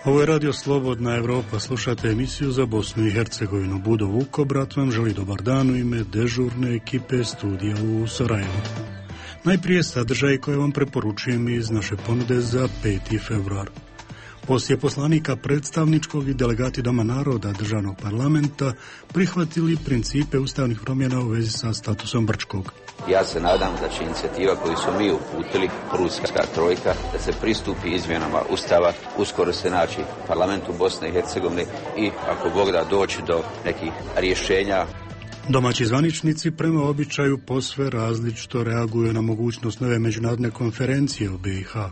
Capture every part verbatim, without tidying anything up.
Ovo je Radio Slobodna Evropa, slušate emisiju za Bosnu i Hercegovinu. Budo Vukobrat vam želi dobar dan u ime dežurne ekipe studija u Sarajevu. Najprije sadržaj koje vam preporučujem iz naše ponude za peti februar. Poslije poslanika predstavničkog i delegati Doma naroda državnog parlamenta prihvatili principe ustavnih promjena u vezi sa statusom Brčkog. Ja se nadam da će inicijativa koju su mi uputili, Pruska trojka, da se pristupi izmjenama Ustava, uskoro se naći parlamentu Bosne i Hercegovine i ako Bog da doći do nekih rješenja. Domaći zvaničnici prema običaju posve različito reaguju na mogućnost nove međunarodne konferencije u B i H.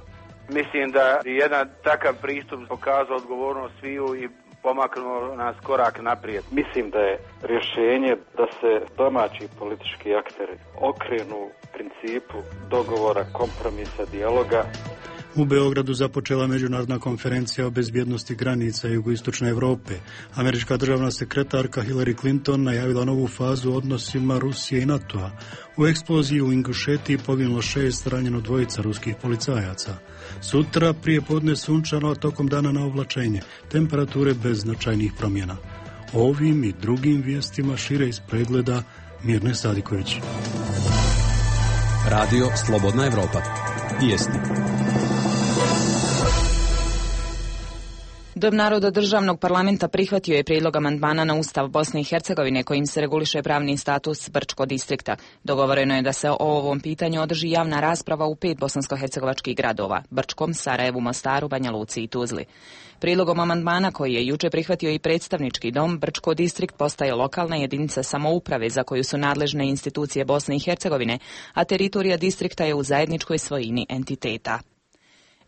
Mislim da je jedan takav pristup pokazao odgovornost sviju i pomaknuo nas korak naprijed. Mislim da je rješenje da se domaći politički akteri okrenu principu dogovora, kompromisa, dijaloga. U Beogradu započela međunarodna konferencija o bezbjednosti granica jugoistočne Europe. Američka državna sekretarka Hillary Clinton najavila novu fazu u odnosima Rusije i NATO-a. U eksploziji u Ingušetiji poginulo šest, ranjeno dvojica ruskih policajaca. Sutra prije podne sunčano, a tokom dana na oblačenje. Temperature bez značajnih promjena. Ovim i drugim vijestima šire iz pregleda Mirne Sadiković. Radio Slobodna Evropa. Vijesti. Dom naroda državnog parlamenta prihvatio je prijedlog amandmana na Ustav Bosne i Hercegovine kojim se reguliše pravni status Brčkog distrikta. Dogovoreno je da se o ovom pitanju održi javna rasprava u pet bosansko-hercegovačkih gradova: Brčkom, Sarajevu, Mostaru, Banja Luci i Tuzli. Prijedlogom amandmana koji je juče prihvatio i predstavnički dom, Brčko distrikt postaje lokalna jedinica samouprave za koju su nadležne institucije Bosne i Hercegovine, a teritorija distrikta je u zajedničkoj svojini entiteta.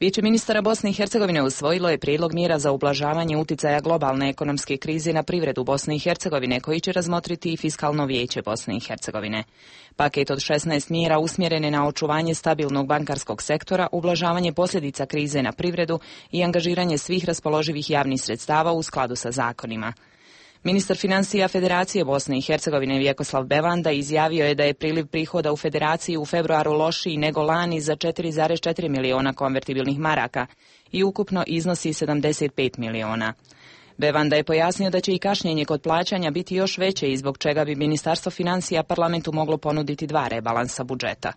Vijeće ministara Bosne i Hercegovine usvojilo je prijedlog mjera za ublažavanje uticaja globalne ekonomske krize na privredu Bosne i Hercegovine, koji će razmotriti i Fiskalno vijeće Bosne i Hercegovine. Paket od šesnaest mjera usmjeren je na očuvanje stabilnog bankarskog sektora, ublažavanje posljedica krize na privredu i angažiranje svih raspoloživih javnih sredstava u skladu sa zakonima. Ministar financija Federacije Bosne i Hercegovine Vjekoslav Bevanda izjavio je da je priliv prihoda u Federaciji u februaru lošiji nego lani za četiri zarez četiri miliona konvertibilnih maraka i ukupno iznosi sedamdeset pet miliona. Bevanda je pojasnio da će i kašnjenje kod plaćanja biti još veće i zbog čega bi Ministarstvo financija parlamentu moglo ponuditi dva rebalansa budžeta.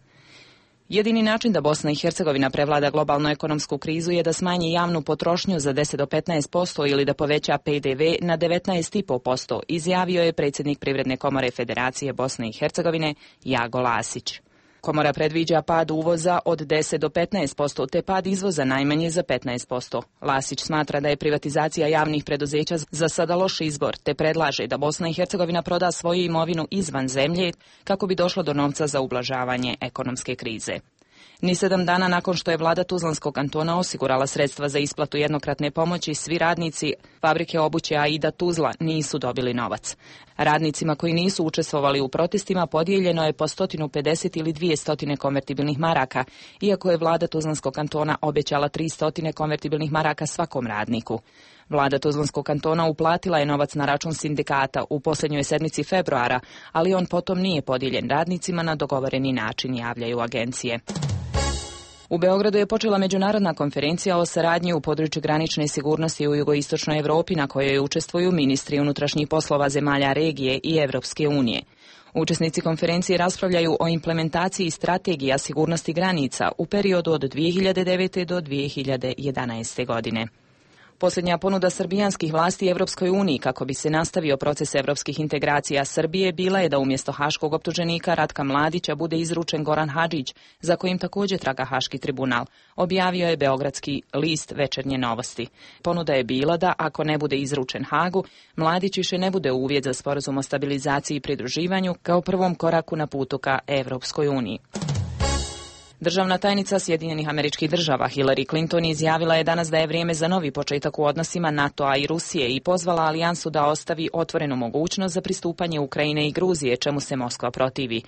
Jedini način da Bosna i Hercegovina prevlada globalnu ekonomsku krizu je da smanji javnu potrošnju za deset do petnaest posto ili da poveća P D V na devetnaest zarez pet posto, izjavio je predsjednik Privredne komore Federacije Bosne i Hercegovine Jago Lasić. Komora predviđa pad uvoza od deset do petnaest posto, te pad izvoza najmanje za petnaest posto. Lasić smatra da je privatizacija javnih preduzeća za sada loš izbor, te predlaže da Bosna i Hercegovina proda svoju imovinu izvan zemlje kako bi došlo do novca za ublažavanje ekonomske krize. Ni sedam dana nakon što je vlada Tuzlanskog kantona osigurala sredstva za isplatu jednokratne pomoći, svi radnici fabrike obuće Aida Tuzla nisu dobili novac. Radnicima koji nisu učestvovali u protestima podijeljeno je po sto pedeset ili dvjesto konvertibilnih maraka, iako je vlada Tuzlanskog kantona obećala tristo konvertibilnih maraka svakom radniku. Vlada Tuzlanskog kantona uplatila je novac na račun sindikata u posljednjoj sedmici februara, ali on potom nije podijeljen radnicima na dogovoreni način, javljaju agencije. U Beogradu je počela međunarodna konferencija o saradnji u području granične sigurnosti u jugoistočnoj Europi na kojoj učestvuju ministri unutrašnjih poslova zemalja regije i Evropske unije. Učesnici konferencije raspravljaju o implementaciji strategija sigurnosti granica u periodu od dvije hiljade devete do dvije hiljade jedanaeste godine. Posljednja ponuda srbijanskih vlasti Evropskoj uniji kako bi se nastavio proces evropskih integracija Srbije bila je da umjesto haškog optuženika Ratka Mladića bude izručen Goran Hadžić, za kojim također traga Haški tribunal, objavio je beogradski list Večernje novosti. Ponuda je bila da, ako ne bude izručen Hagu, Mladić više ne bude uvjet za sporazum o stabilizaciji i pridruživanju kao prvom koraku na putu ka Evropskoj uniji. Državna tajnica Sjedinjenih Američkih Država Hillary Clinton izjavila je danas da je vrijeme za novi početak u odnosima NATO-a i Rusije i pozvala alijansu da ostavi otvorenu mogućnost za pristupanje Ukrajine i Gruzije, čemu se Moskva protivi.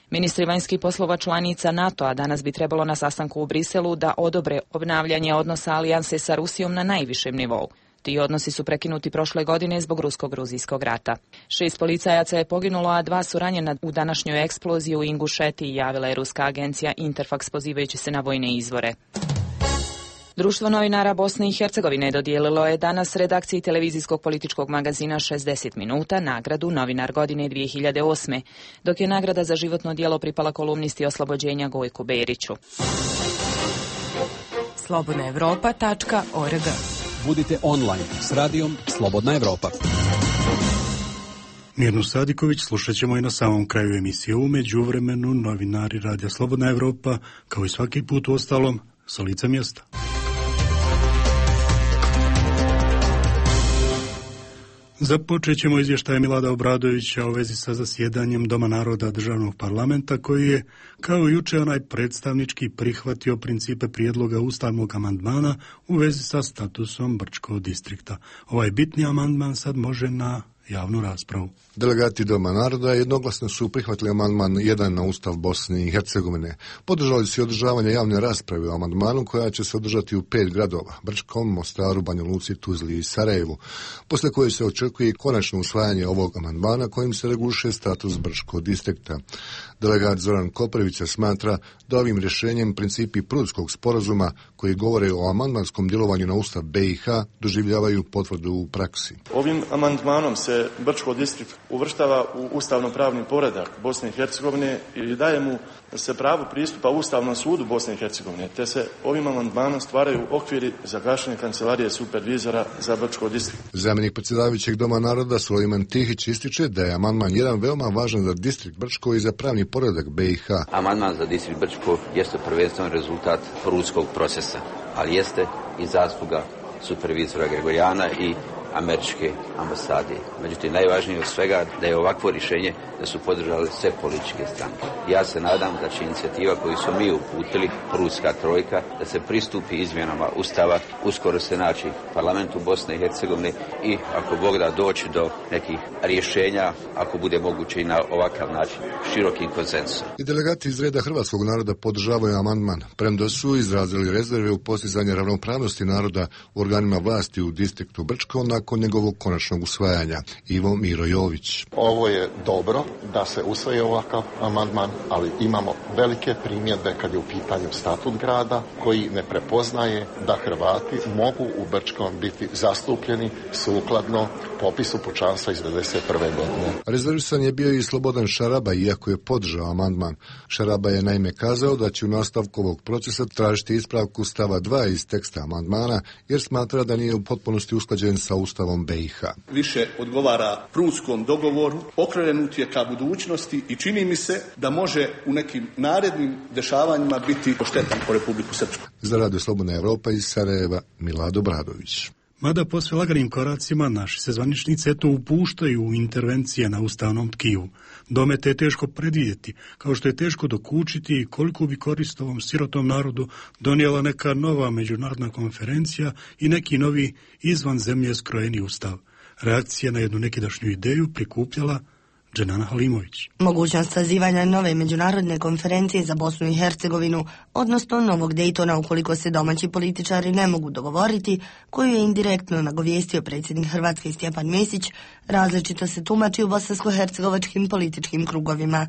Ministri vanjskih poslova članica NATO-a danas bi trebalo na sastanku u Briselu da odobre obnavljanje odnosa alijanse sa Rusijom na najvišem nivou. Ti odnosi su prekinuti prošle godine zbog rusko-gruzijskog rata. Šest policajaca je poginulo, a dva su ranjena u današnjoj eksploziji u Ingušetiji, javila je ruska agencija Interfax pozivajući se na vojne izvore. Društvo novinara Bosne i Hercegovine dodijelilo je danas redakciji televizijskog političkog magazina šezdeset minuta nagradu Novinar godine dvije hiljade osme, dok je nagrada za životno djelo pripala kolumnisti Oslobođenja Gojku Beriću. slobodna evropa tačka org. Budite online s radijom Slobodna Evropa. Mirnu Sadiković slušat ćemo i na samom kraju emisije. U međuvremenu novinari Radija Slobodna Evropa, kao i svaki put u ostalom, sa lica mjesta. Započet ćemo izvještaj Milada Obradovića u vezi sa zasjedanjem Doma naroda državnog parlamenta, koji je, kao i juče onaj predstavnički, prihvatio principe prijedloga ustavnog amandmana u vezi sa statusom Brčkog distrikta. Ovaj bitni amandman sad može na javnu raspravu. Delegati Doma naroda jednoglasno su prihvatili amandman jedan na Ustav Bosne i Hercegovine. Podržali su i održavanje javne rasprave o amandmanu koja će se održati u pet gradova: Brčkom, Mostaru, Banja Luci, Tuzli i Sarajevu, posle koje se očekuje konačno usvajanje ovog amandmana kojim se reguliše status Brčkog distrikta. Delegat Zoran Koprivica smatra da ovim rješenjem principi Prudskog sporazuma koji govore o amandmanskom djelovanju na Ustav be i ha doživljavaju potvrdu u praksi. Ovim amandmanom se Brčko distrikt uvrštava u ustavno-pravni poredak Bosne i Hercegovine i daje mu se pravo pristupa Ustavnom sudu Bosne i Hercegovine, te se ovim amandmanom stvaraju okviri za gašenje kancelarije supervizora za Brčko distrikt. Zamjenik predsjedavajućeg Doma naroda Sulejman Tihić ističe da je amandman jedan veoma važan za distrikt Brčko i za pravni poredak be i ha. Amandman za distrikt Brčko jeste prvenstveno rezultat prudskog procesa, ali jeste i zasluga supervizora Gregorijana i američke ambasade. Međutim, najvažnije od svega da je ovakvo rješenje da su podržali sve političke stranke. Ja se nadam da će inicijativa koju smo mi uputili, Prudska trojka, da se pristupi izmjenama Ustava, uskoro se naći parlamentu Bosne i Hercegovine i ako Bog da doći do nekih rješenja, ako bude moguće i na ovakav način, širokim konsenzusom. I delegati iz reda hrvatskog naroda podržavaju amandman, premda su izrazili rezerve u postizanju ravnopravnosti naroda u organima vlasti u distriktu Brčko nakon njegovog konačnog usvajanja. Ivo Miro Jović. Ovo je dobro da se usvoji ovakav amandman, ali imamo velike primjedbe kad je u pitanju statut grada koji ne prepoznaje da Hrvati mogu u Brčkom biti zastupljeni sukladno popisu pučanstva iz devedeset prve godine. Rezervisan je bio i Slobodan Šaraba, iako je podržao amandman. Šaraba je naime kazao da će u nastavku ovog procesa tražiti ispravku stava dva iz teksta amandmana, jer smatra da nije u potpunosti usklađen sa Ustavom be i ha. Više odgovara prudskom dogovoru, okrenut je ka budućnosti i čini mi se da može u nekim narednim dešavanjima biti oštetan po Republiku Srpsku. Za Radio Slobodna Evropa iz Sarajeva, Milad Obradović. Mada posve laganim koracima naši se zvaničnici eto upuštaju u intervencije na ustavnom tkivu. Domete je teško predvidjeti, kao što je teško dokučiti koliko bi korist ovom sirotom narodu donijela neka nova međunarodna konferencija i neki novi izvan zemlje skrojeni ustav. Reakcija na jednu nekidašnju ideju prikupljala Dženana Halimović. Mogućnost sazivanja nove međunarodne konferencije za Bosnu i Hercegovinu, odnosno novog Dejtona ukoliko se domaći političari ne mogu dogovoriti, koju je indirektno nagovijestio predsjednik Hrvatske Stjepan Mesić, različito se tumači u bosansko-hercegovačkim političkim krugovima.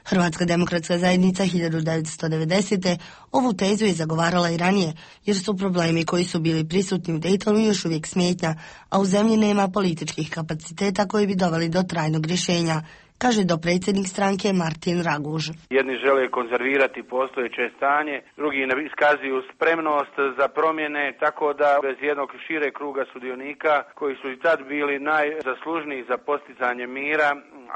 Hrvatska demokratska zajednica hiljadu devetsto devedesete. ovu tezu je zagovarala i ranije, jer su problemi koji su bili prisutni u Dejtonu još uvijek smetnja, a u zemlji nema političkih kapaciteta koji bi doveli do trajnog rješenja, kaže dopredsjednik stranke Martin Raguž. Jedni žele konzervirati postojeće stanje, drugi ne iskazuju spremnost za promjene, tako da bez jednog šire kruga sudionika koji su i tad bili najzaslužniji za postizanje mira,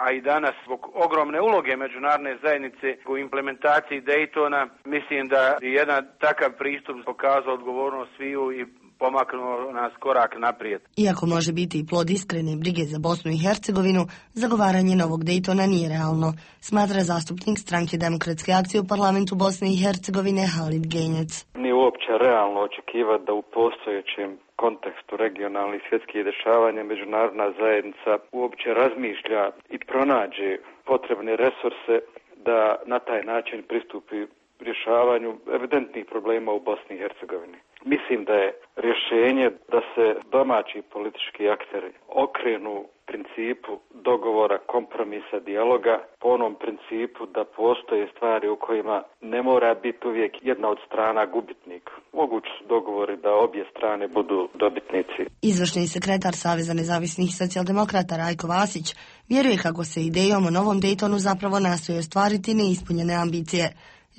a i danas zbog ogromne uloge međunarodne zajednice u implementaciji Dejtona, mislim da je jedan takav pristup pokazao odgovornost sviju i pomaknuo nas korak naprijed. Iako može biti i plod iskrene brige za Bosnu i Hercegovinu, zagovaranje novog Dejtona nije realno, smatra zastupnik stranke Demokratske akcije u parlamentu Bosne i Hercegovine Halid Genjec. Nije uopće realno očekivati da u postojećem kontekstu regionalnih svjetskih dešavanja međunarodna zajednica uopće razmišlja i pronađe potrebne resurse da na taj način pristupi rješavanju evidentnih problema u Bosni i Hercegovini. Mislim da je rješenje da se domaći politički akteri okrenu principu dogovora, kompromisa, dijaloga, po onom principu da postoje stvari u kojima ne mora biti uvijek jedna od strana gubitnik. Mogući su dogovori da obje strane budu dobitnici. Izvršni sekretar Saveza nezavisnih socijaldemokrata Rajko Vasić vjeruje kako se idejom o novom Daytonu zapravo nastoji ostvariti neispunjene ambicije.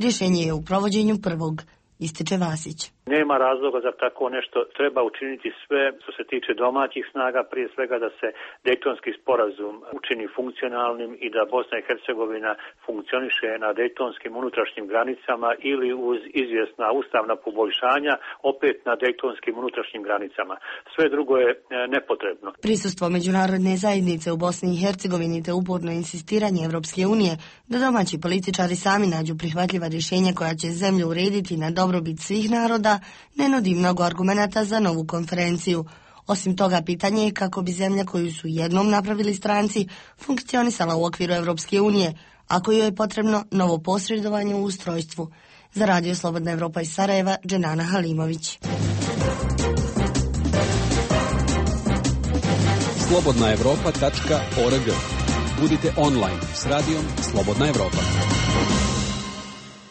Rješenje je u provođenju prvog, ističe Vasić. Nema razloga za tako nešto, treba učiniti sve što se tiče domaćih snaga, prije svega da se Dejtonski sporazum učini funkcionalnim i da Bosna i Hercegovina funkcioniše na dejtonskim unutrašnjim granicama ili uz izvjesna ustavna poboljšanja opet na dejtonskim unutrašnjim granicama. Sve drugo je nepotrebno. Prisustvo međunarodne zajednice u Bosni i Hercegovini te uporno insistiranje Evropske unije da domaći političari sami nađu prihvatljiva rješenja koja će zemlju urediti na dobrobit svih naroda ne nudi mnogo argumenata za novu konferenciju. Osim toga, pitanje je kako bi zemlja koju su jednom napravili stranci funkcionisala u okviru Evropske unije, ako joj je potrebno novo posredovanje u ustrojstvu. Za Radio Slobodna Evropa iz Sarajeva, Dženana Halimović. slobodna evropa tačka org. Budite online s radijom Slobodna Evropa.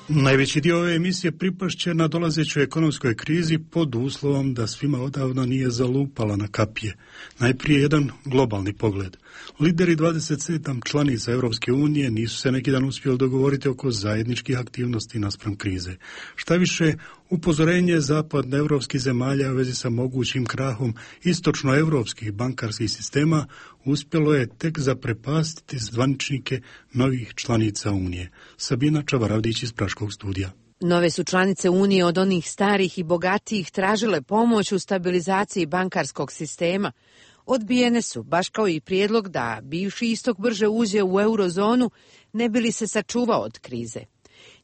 Najveći dio ove emisije pripašće na dolazećoj ekonomskoj krizi pod uslovom da svima odavno nije zalupala na kapije. Najprije jedan globalni pogled. Lideri dvadeset sedam članica Europske unije nisu se neki dan uspjeli dogovoriti oko zajedničkih aktivnosti naspram krize. Šta više, upozorenje zapadnoevropskih zemalja u vezi sa mogućim krahom istočnoevropskih bankarskih sistema uspjelo je tek zaprepastiti zvaničnike novih članica Unije. Sabina Čavaravdić iz Praškog studija. Nove su članice Unije od onih starih i bogatijih tražile pomoć u stabilizaciji bankarskog sistema. Odbijene su, baš kao i prijedlog da bivši istok brže uđe u eurozonu, ne bi li se sačuvao od krize.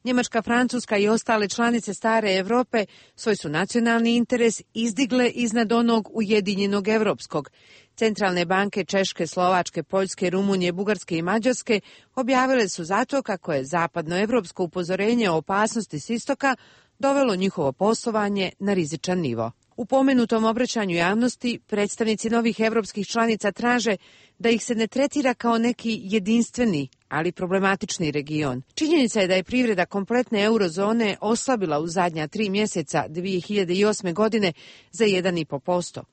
Njemačka, Francuska i ostale članice stare Europe svoj su nacionalni interes izdigle iznad onog ujedinjenog europskog. Centralne banke Češke, Slovačke, Poljske, Rumunije, Bugarske i Mađarske objavile su zato kako je zapadnoevropsko upozorenje o opasnosti s istoka dovelo njihovo poslovanje na rizičan nivo. U pomenutom obraćanju javnosti predstavnici novih evropskih članica traže da ih se ne tretira kao neki jedinstveni, ali problematični region. Činjenica je da je privreda kompletne eurozone oslabila u zadnja tri mjeseca dvije hiljade osme. godine za jedan i po posto.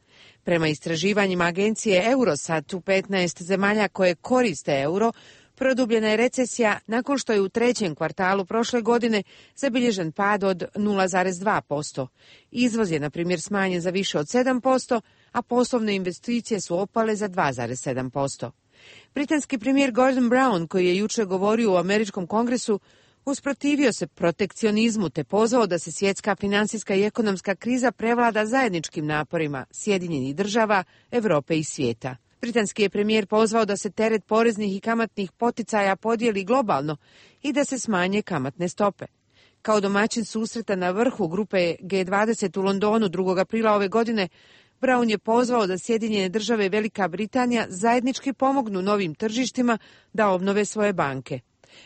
Prema istraživanjima agencije Eurostat u petnaest zemalja koje koriste euro, produbljena je recesija nakon što je u trećem kvartalu prošle godine zabilježen pad od nula zarez dva posto. Izvoz je, na primjer, smanjen za više od sedam posto, a poslovne investicije su opale za dva zarez sedam posto. Britanski premijer Gordon Brown, koji je jučer govorio u Američkom kongresu, usprotivio se protekcionizmu te pozvao da se svjetska financijska i ekonomska kriza prevlada zajedničkim naporima Sjedinjenih država, Europe i svijeta. Britanski je premijer pozvao da se teret poreznih i kamatnih poticaja podijeli globalno i da se smanje kamatne stope. Kao domaćin susreta na vrhu grupe G dvadeset u Londonu drugog aprila ove godine, Brown je pozvao da Sjedinjene države i Velika Britanija zajednički pomognu novim tržištima da obnove svoje banke.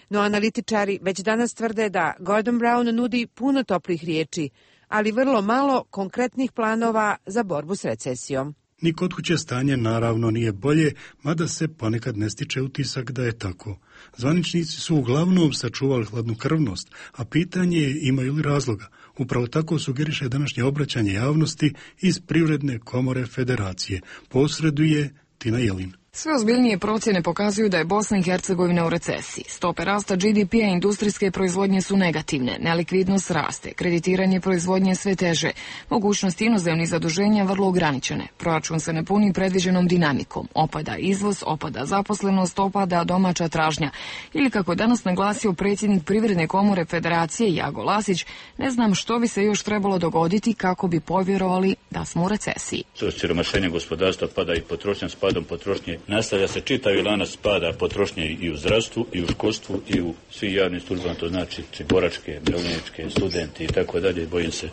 No analitičari već danas tvrde da Gordon Brown nudi puno toplih riječi, ali vrlo malo konkretnih planova za borbu s recesijom. Ni kod kuće stanje naravno nije bolje, mada se ponekad ne stiče utisak da je tako. Zvaničnici su uglavnom sačuvali hladnokrvnost, a pitanje je imaju li razloga. Upravo tako sugeriše današnje obraćanje javnosti iz Privredne komore Federacije. Posreduje Tina Jelin. Sve ozbiljnije procjene pokazuju da je Bosna i Hercegovina u recesiji. Stope rasta G D P-a industrijske proizvodnje su negativne, nelikvidnost raste, kreditiranje proizvodnje sve teže, mogućnosti inozemnih zaduženja vrlo ograničene, proračun se ne puni predviđenom dinamikom, opada izvoz, opada zaposlenost, opada domaća tražnja. Ili kako je danas naglasio predsjednik Privredne komore Federacije Jago Lasić, ne znam što bi se još trebalo dogoditi kako bi povjerovali da smo u recesiji. Siromašenje gospodarstva pada i potrošnja, s padom potrošnje nastavlja se čitavi lanac pada potrošnje i u zdravstvu, i u školstvu, i u svim javnim službama, to znači boračke, mirovljeničke, studenti i tako dalje. Bojim se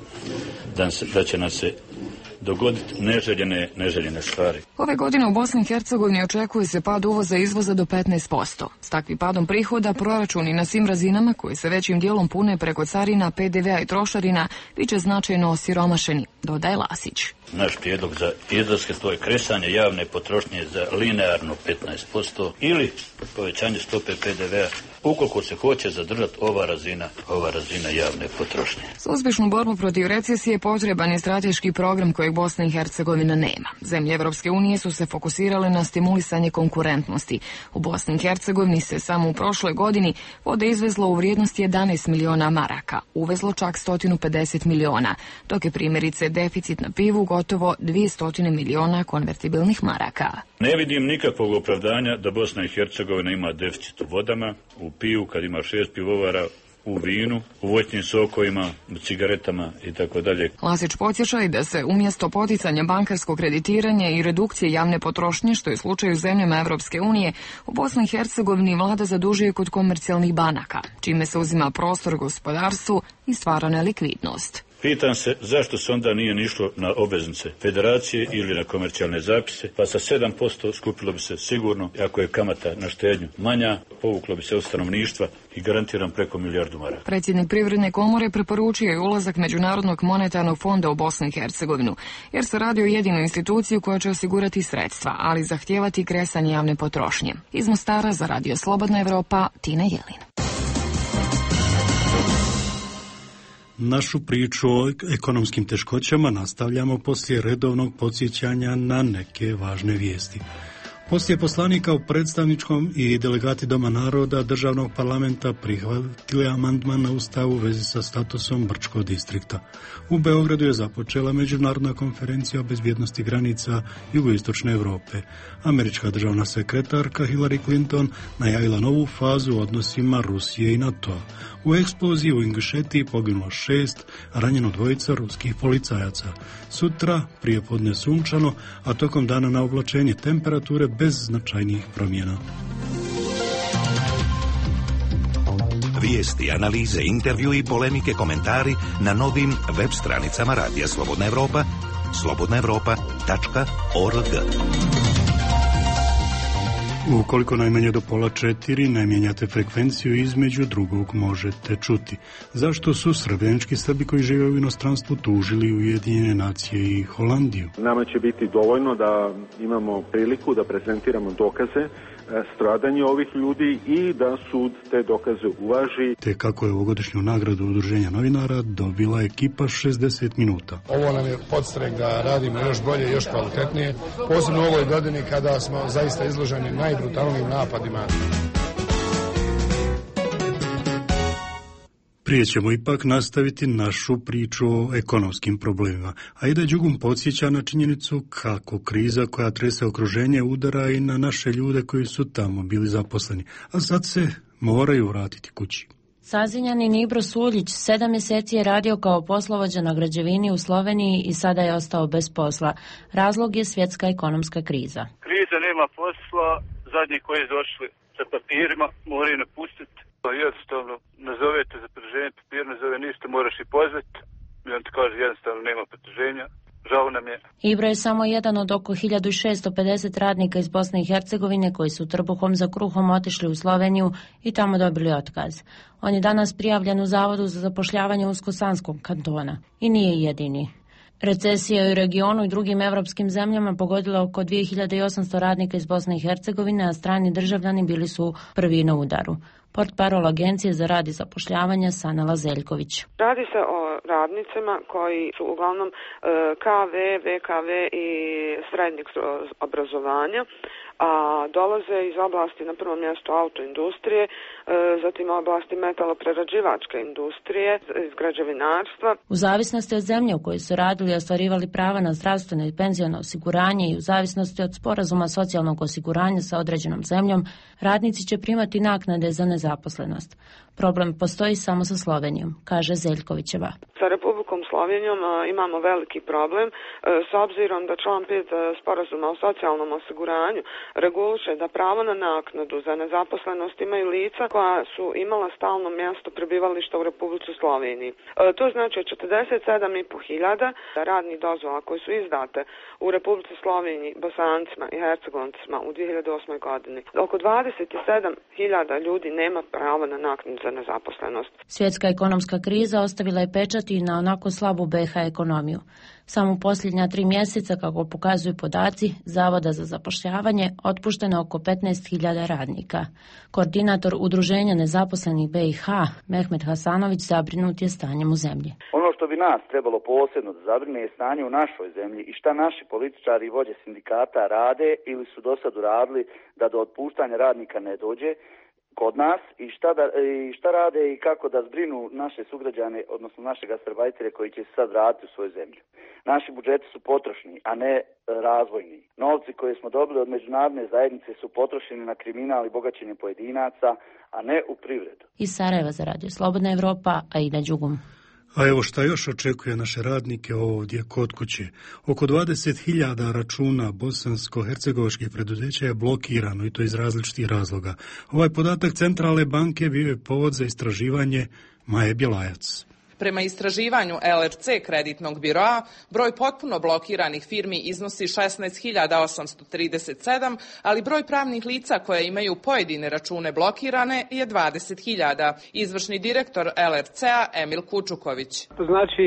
da, da će nas se dogoditi neželjene, neželjene stvari. Ove godine u Bosni i Hercegovini očekuje se pad uvoza i izvoza do petnaest posto. S takvim padom prihoda proračuni na svim razinama, koji se većim dijelom pune preko carina, P D V-a i trošarina, bit će značajno osiromašeni, dodaje Lasić. Naš prijedlog za izlaske to je kresanje javne potrošnje za linearno petnaest posto ili povećanje stope P D V-a ukoliko se hoće zadržati ova razina, ova razina javne potrošnje. Za uspješnu borbu protiv recesije potreban je strateški program kojeg Bosna i Hercegovina nema. Zemlje Evropske unije su se fokusirale na stimulisanje konkurentnosti. U Bosni i Hercegovini se samo u prošloj godini vode izvezlo u vrijednosti jedanaest miliona maraka, uvezlo čak sto pedeset miliona, dok je primjerice deficit na pivu gotovo dvjesto miliona konvertibilnih maraka. Ne vidim nikakvog opravdanja da Bosna i Hercegovina ima deficit u vodama, u pivu kad ima šest pivovara, u vinu, u voćnim sokovima, u cigaretama i tako dalje. Lasić podsjeća i da se umjesto poticanja bankarskog kreditiranja i redukcije javne potrošnje, što je slučaj u zemljama Evropske unije, u Bosni i Hercegovini vlada zadužuje kod komercijalnih banaka, čime se uzima prostor gospodarstvu i stvara nelikvidnost. Pitam se zašto se onda nije nišlo na obveznice federacije ili na komercijalne zapise, pa sa sedam posto skupilo bi se sigurno, ako je kamata na štednju manja, povuklo bi se od stanovništva i garantiram preko milijardu maraka. Predsjednik Privredne komore preporučio je ulazak Međunarodnog monetarnog fonda u Bosnu i Hercegovinu, jer se radi o jedinoj instituciji koja će osigurati sredstva, ali zahtijevati kresanje javne potrošnje. Iz Mostara za Radio Slobodna Evropa, Tina Jelin. Našu priču o ekonomskim teškoćama nastavljamo poslije redovnog podsjećanja na neke važne vijesti. Poslije poslanika u predstavničkom i delegati Doma naroda državnog parlamenta prihvatili amandman na ustav u vezi sa statusom Brčkog distrikta. U Beogradu je započela međunarodna konferencija o bezbjednosti granica jugoistočne Europe. Američka državna sekretarka Hillary Clinton najavila novu fazu u odnosima Rusije i NATO-a. U eksploziji u Ingušetiji poginulo šest, a ranjeno dvojica ruskih policajaca. Sutra prijepodne sunčano, a tokom dana na oblačenje, temperature bez značajnijih promjena. Vijesti, analize, intervju i polemike, komentari na novim web stranicama Radija Slobodna Evropa, slobodna evropa tačka org. Ukoliko najmanje do pola četiri ne mijenjate frekvenciju, između drugog možete čuti. Zašto su srbijanski Srbi koji žive u inostranstvu tužili Ujedinjene nacije i Holandiju? Nama će biti dovoljno da imamo priliku da prezentiramo dokaze stradanje ovih ljudi i da sud te dokaze uvaži. Te kako je ovogodišnju nagradu Udruženja novinara dobila ekipa šezdeset minuta. Ovo nam je podstrek da radimo još bolje i još kvalitetnije, posebno u ovoj godini kada smo zaista izloženi najbrutalnijim napadima. Prije ćemo ipak nastaviti našu priču o ekonomskim problemima, a i da Đugum podsjeća na činjenicu kako kriza koja trese okruženje udara i na naše ljude koji su tamo bili zaposleni, a sad se moraju vratiti kući. Sazinjani Nibro Suljić sedam mjeseci je radio kao poslovođa na građevini u Sloveniji i sada je ostao bez posla. Razlog je svjetska ekonomska kriza. Kriza, nema posla, zadnji koji su došli sa papirima moraju napustiti. Jednostavno, nazovete za produženje papira, nazove ništa, moraš i pozvati. I on ti kaže jednostavno nema produženja. Žao nam je. Ibro je samo jedan od oko hiljadu šesto pedeset radnika iz Bosne i Hercegovine koji su trbuhom za kruhom otišli u Sloveniju i tamo dobili otkaz. On je danas prijavljen u Zavodu za zapošljavanje Uskosanskog kantona i nije jedini. Recesija u regionu i drugim evropskim zemljama pogodila oko dvije hiljade osamsto radnika iz Bosne i Hercegovine, a strani državljani bili su prvi na udaru. Portparol Agencije za rad i zapošljavanje Sanela Zeljković. Radi se o radnicima koji su uglavnom K V, V K V i srednjeg obrazovanja, a dolaze iz oblasti na prvom mjestu autoindustrije, zatim oblasti metaloprerađivačke industrije, iz građevinarstva. U zavisnosti od zemlje u kojoj su radili i ostvarivali prava na zdravstveno i penziono osiguranje i u zavisnosti od sporazuma socijalnog osiguranja sa određenom zemljom, radnici će primati naknade za nezaposlenost. Problem postoji samo sa Slovenijom, kaže Zeljkovićeva. Sa Republikom Slovenijom imamo veliki problem s obzirom da član pet sporazuma o socijalnom osiguranju reguliše da pravo na naknadu za nezaposlenost imaju lica koja su imala stalno mjesto prebivališta u Republici Sloveniji. To znači od četrdeset sedam i po hiljada radnih dozvola koje su izdate u Republici Sloveniji Bosancima i Hercegoncima u dvije hiljade osmoj godini. Oko dvadeset sedam hiljada ljudi nema pravo na naknadu za nezaposlenost. Svjetska ekonomska kriza ostavila je pečat i na onako slabu B iH ekonomiju. Samo u posljednja tri mjeseca, kako pokazuju podaci Zavoda za zapošljavanje, otpušteno oko petnaest hiljada radnika. Koordinator Udruženja nezaposlenih B i H, Mehmet Hasanović, zabrinut je stanjem u zemlji. Ono što bi nas trebalo posebno da zabrine je stanje u našoj zemlji i šta naši političari i vođe sindikata rade ili su do sad uradili da do otpuštanja radnika ne dođe kod nas i šta, da, i šta rade i kako da zbrinu naše sugrađane, odnosno naše gastarbajtere koji će se sad vratiti u svoju zemlju. Naši budžeti su potrošni, a ne razvojni. Novci koje smo dobili od međunarodne zajednice su potrošeni na kriminal i bogaćenje pojedinaca, a ne u privredu. Iz Sarajeva za Radio Slobodna Evropa, Aida Đugum. A evo šta još očekuje naše radnike ovdje kod kuće. Oko dvadeset hiljada računa bosansko-hercegovačkih preduzeća je blokirano, i to iz različitih razloga. Ovaj podatak Centralne banke bio je povod za istraživanje Maje Bjelajac. Prema istraživanju L R C kreditnog biroa, broj potpuno blokiranih firmi iznosi šesnaest hiljada osamsto trideset sedam, ali broj pravnih lica koje imaju pojedine račune blokirane je dvadeset hiljada. Izvršni direktor L R C-a Emil Kučuković. To znači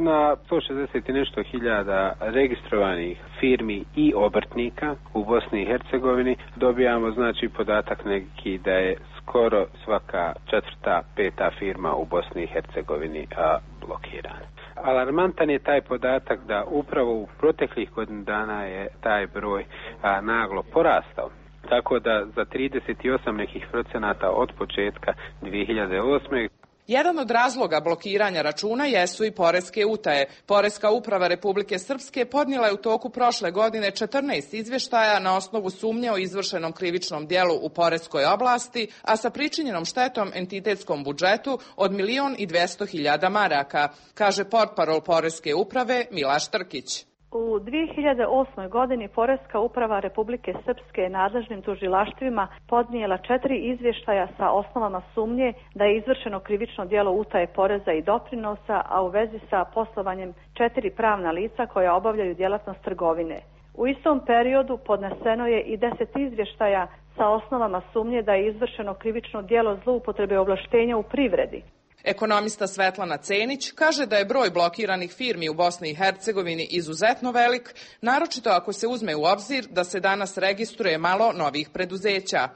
na sto šezdeset i nešto hiljada registrovanih firmi i obrtnika u Bosni i Hercegovini dobijamo znači podatak neki da je skoro svaka četvrta, peta firma u Bosni i Hercegovini a, blokirana. Alarmantan je taj podatak da upravo u proteklih godinu dana je taj broj a, naglo porastao. Tako da za trideset osam nekih procenata od početka dvije hiljade osme. Jedan od razloga blokiranja računa jesu i poreske utaje. Poreska uprava Republike Srpske podnijela je u toku prošle godine četrnaest izvještaja na osnovu sumnje o izvršenom krivičnom dijelu u poreskoj oblasti, a sa pričinjenom štetom entitetskom budžetu od milion i dvjesto hiljada maraka, kaže portparol Poreske uprave Milaš Trkić. U dvije hiljade osmoj godini Poreska uprava Republike Srpske nadležnim tužilaštvima podnijela četiri izvještaja sa osnovama sumnje da je izvršeno krivično djelo utaje poreza i doprinosa, a u vezi sa poslovanjem četiri pravna lica koja obavljaju djelatnost trgovine. U istom periodu podneseno je i deset izvještaja sa osnovama sumnje da je izvršeno krivično djelo zloupotrebe ovlaštenja u privredi. Ekonomista Svetlana Cenić kaže da je broj blokiranih firmi u Bosni i Hercegovini izuzetno velik, naročito ako se uzme u obzir da se danas registruje malo novih preduzeća. E,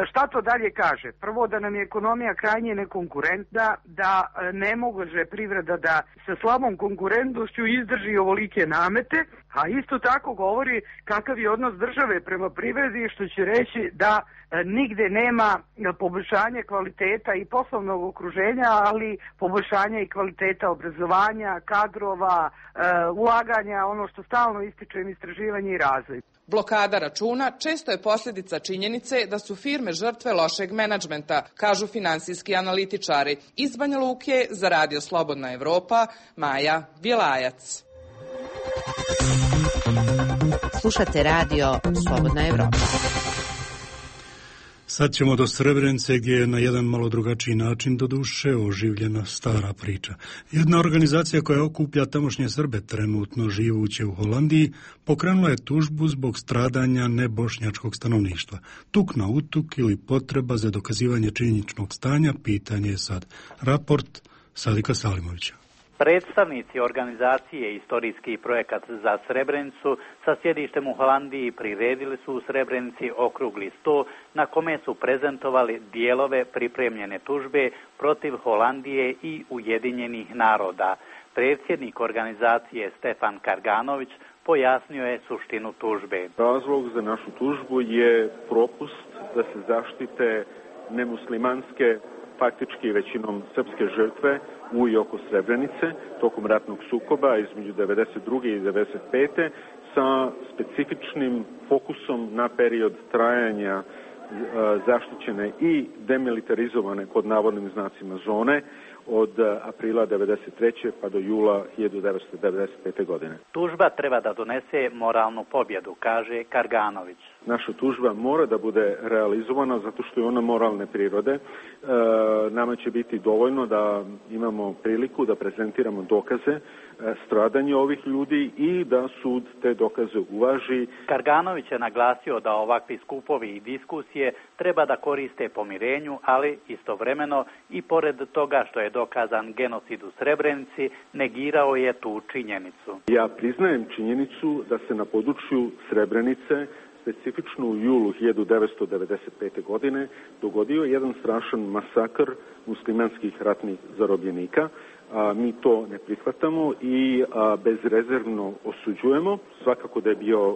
šta to dalje kaže? Prvo, da nam je ekonomija krajnje nekonkurentna, da ne može privreda da sa slabom konkurentnošću izdrži ovolike namete, a isto tako govori kakav je odnos države prema privredi, što će reći da nigde nema poboljšanja kvaliteta i poslovnog okruženja, ali poboljšanja i kvaliteta obrazovanja, kadrova, ulaganja, ono što stalno ističem, istraživanje i razvoj. Blokada računa često je posljedica činjenice da su firme žrtve lošeg menadžmenta, kažu finansijski analitičari. Iz Banja Luke za Radio Slobodna Evropa, Maja Bjelajac. Slušate Radio Slobodna Evropa. Sad ćemo do Srebrenice gdje je na jedan malo drugačiji način do duše oživljena stara priča. Jedna organizacija koja okuplja tamošnje Srbe trenutno živuće u Holandiji pokrenula je tužbu zbog stradanja nebošnjačkog stanovništva. Tuk na utuk ili potreba za dokazivanje činjeničnog stanja, pitanje je sad. Raport Sadika Salimovića. Predstavnici organizacije Istorijski projekat za Srebrenicu sa sjedištem u Holandiji priredili su u Srebrenici okrugli sto na kome su prezentovali dijelove pripremljene tužbe protiv Holandije i Ujedinjenih naroda. Predsjednik organizacije Stefan Karganović pojasnio je suštinu tužbe. Razlog za našu tužbu je propust da se zaštite nemuslimanske, faktički većinom srpske žrtve u i oko Srebrenice tokom ratnog sukoba između devedeset druge i devedeset pete sa specifičnim fokusom na period trajanja zaštićene i demilitarizovane pod navodnim znacima zone od aprila devedeset treće pa do jula hiljadu devetsto devedeset pete. godine. Tužba treba da donese moralnu pobjedu, kaže Karganović. Naša tužba mora da bude realizovana zato što je ona moralne prirode. E, nama će biti dovoljno da imamo priliku da prezentiramo dokaze e, stradanje ovih ljudi i da sud te dokaze uvaži. Karganović je naglasio da ovakvi skupovi i diskusije treba da koriste pomirenju, ali istovremeno i pored toga što je dokazan genocid u Srebrenici, negirao je tu činjenicu. Ja priznajem činjenicu da se na području Srebrenice, specifično u julu hiljadu devetsto devedeset pete. godine, dogodio jedan strašan masakr muslimanskih ratnih zarobljenika. A, mi to ne prihvatamo i a, bezrezervno osuđujemo. Svakako da je bio a,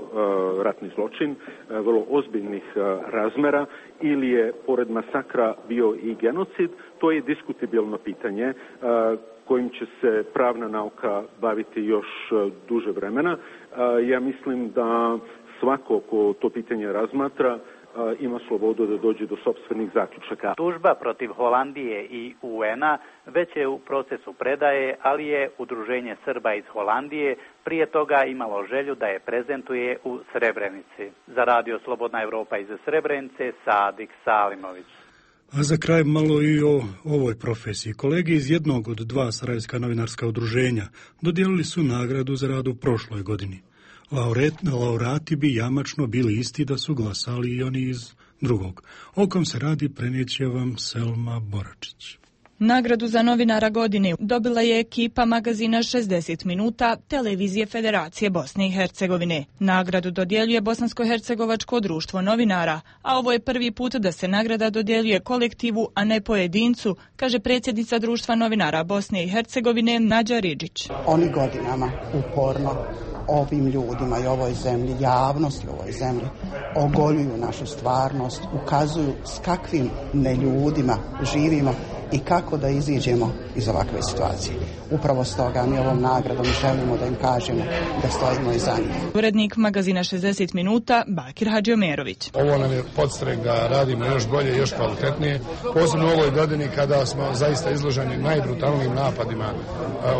ratni zločin a, vrlo ozbiljnih a, razmera ili je pored masakra bio i genocid. To je diskutabilno pitanje a, kojim će se pravna nauka baviti još a, duže vremena. A, ja mislim da svako ko to pitanje razmatra ima slobodu da dođe do sopstvenih zaključaka. Tužba protiv Holandije i U N-a već je u procesu predaje, ali je Udruženje Srba iz Holandije prije toga imalo želju da je prezentuje u Srebrenici. Za Radio Slobodna Evropa iz Srebrenice, Sadik Salimović. A za kraj malo i o ovoj profesiji. Kolege iz jednog od dva sarajevska novinarska udruženja dodijelili su nagradu za rad u prošloj godini. Laureat, laureati bi jamačno bili isti da su glasali i oni iz drugog. O kom se radi prenijeće vam Selma Boračić. Nagradu za novinara godine dobila je ekipa magazina šezdeset minuta Televizije Federacije Bosne i Hercegovine. Nagradu dodjeljuje Bosansko-hercegovačko društvo novinara, a ovo je prvi put da se nagrada dodjeljuje kolektivu, a ne pojedincu, kaže predsjednica društva novinara Bosne i Hercegovine Nađa Ridžić. Oni godinama uporno ovim ljudima i ovoj zemlji, javnosti u ovoj zemlji, ogoljuju našu stvarnost, ukazuju s kakvim neljudima živimo i kako da iziđemo iz ovakve situacije. Upravo stoga mi ovom nagradom želimo da im kažemo da stojimo iza njih. Urednik magazina šezdeset minuta Bakir Hadžiomerović. Ovo nam je podstrek da radimo još bolje, još kvalitetnije, posebno u ovoj godini kada smo zaista izloženi najbrutalnijim napadima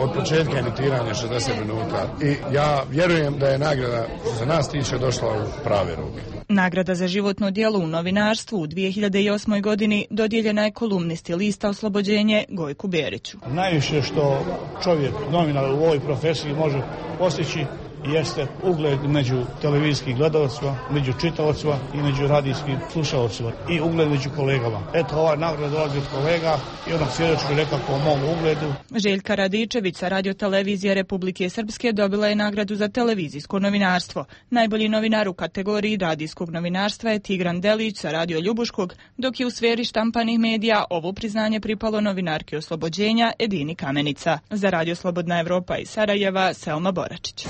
od početka emitiranja šezdeset minuta. I ja vjerujem da je nagrada što se nas tiče došla u prave ruke. Nagrada za životno djelo u novinarstvu u dvije hiljade osmoj. godini dodijeljena je kolumnisti lista Oslobođenje Gojku Beriću. Najviše što čovjek, novinar u ovoj profesiji može postići jeste ugled među televizijskih gledalcima, među čitaocima i među radijskim slušalcima i ugled među kolegama. Eto, ova nagrada dolazi od kolega i onog svjedočku nekako o mom ugledu. Željka Radičević sa radiotelevizije Republike Srpske dobila je nagradu za televizijsko novinarstvo. Najbolji novinar u kategoriji radijskog novinarstva je Tigran Delić sa Radio Ljubuškog, dok je u sferi štampanih medija ovo priznanje pripalo novinarki Oslobođenja Edini Kamenica. Za Radio Slobodna Evropa iz Sarajeva, Selma Boračić.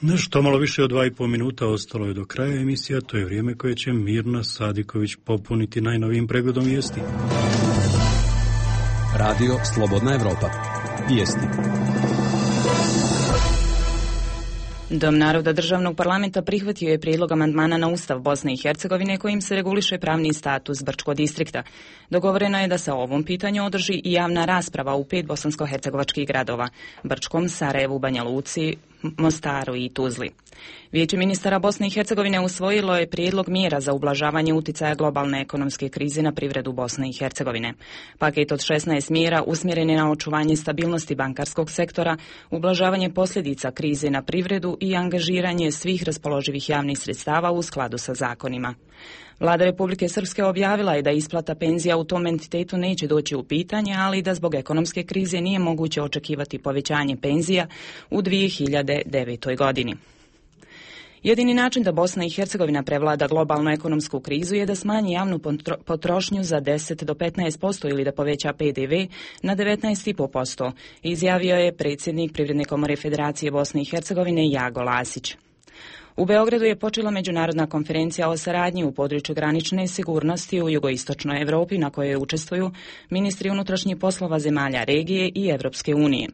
Nešto malo više od dva i po minuta ostalo je do kraja emisija, to je vrijeme koje će Mirna Sadiković popuniti najnovijim pregledom vijesti. Radio Slobodna Evropa. Vijesti. Dom naroda državnog parlamenta prihvatio je prijedlog amandmana na Ustav Bosne i Hercegovine kojim se reguliše pravni status Brčko distrikta. Dogovoreno je da se o ovom pitanju održi i javna rasprava u pet bosansko-hercegovačkih gradova: Brčkom, Sarajevu, Banja Luci, Mostaru i Tuzli. Vijeće ministara Bosne i Hercegovine usvojilo je prijedlog mjera za ublažavanje uticaja globalne ekonomske krize na privredu Bosne i Hercegovine. Paket od šesnaest mjera usmjeren je na očuvanje stabilnosti bankarskog sektora, ublažavanje posljedica krize na privredu i angažiranje svih raspoloživih javnih sredstava u skladu sa zakonima. Vlada Republike Srpske objavila je da isplata penzija u tom entitetu neće doći u pitanje, ali da zbog ekonomske krize nije moguće očekivati povećanje penzija u dvije hiljade devetoj. godini. Jedini način da Bosna i Hercegovina prevlada globalnu ekonomsku krizu je da smanji javnu potrošnju za deset do petnaest posto ili da poveća P D V na devetnaest zarez pet posto, izjavio je predsjednik Privredne komore Federacije Bosne i Hercegovine Jago Lasić. U Beogradu je počela međunarodna konferencija o saradnji u području granične sigurnosti u jugoistočnoj Evropi na kojoj učestvuju ministri unutrašnjih poslova zemalja regije i Evropske unije.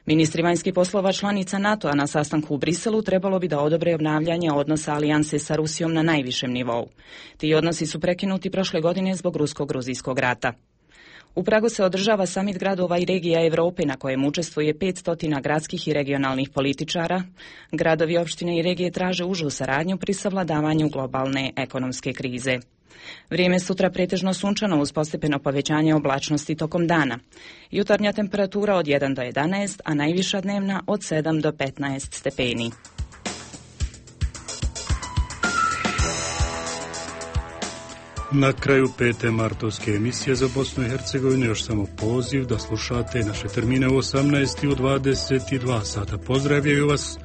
Ministri vanjskih poslova članica NATO-a na sastanku u Briselu trebalo bi da odobre obnavljanje odnosa alijanse sa Rusijom na najvišem nivou. Ti odnosi su prekinuti prošle godine zbog rusko-gruzijskog rata. U Pragu se održava samit gradova i regija Europe na kojem učestvuje petsto gradskih i regionalnih političara. Gradovi, opštine i regije traže užu saradnju pri savladavanju globalne ekonomske krize. Vrijeme sutra pretežno sunčano uz postepeno povećanje oblačnosti tokom dana. Jutarnja temperatura od jedan do jedanaest, a najviša dnevna od sedam do petnaest stepeni. Na kraju pete martovske emisije za Bosnu i Hercegovinu još samo poziv da slušate naše termine u osamnaest i u dvadeset dva sata. Pozdravljaju vas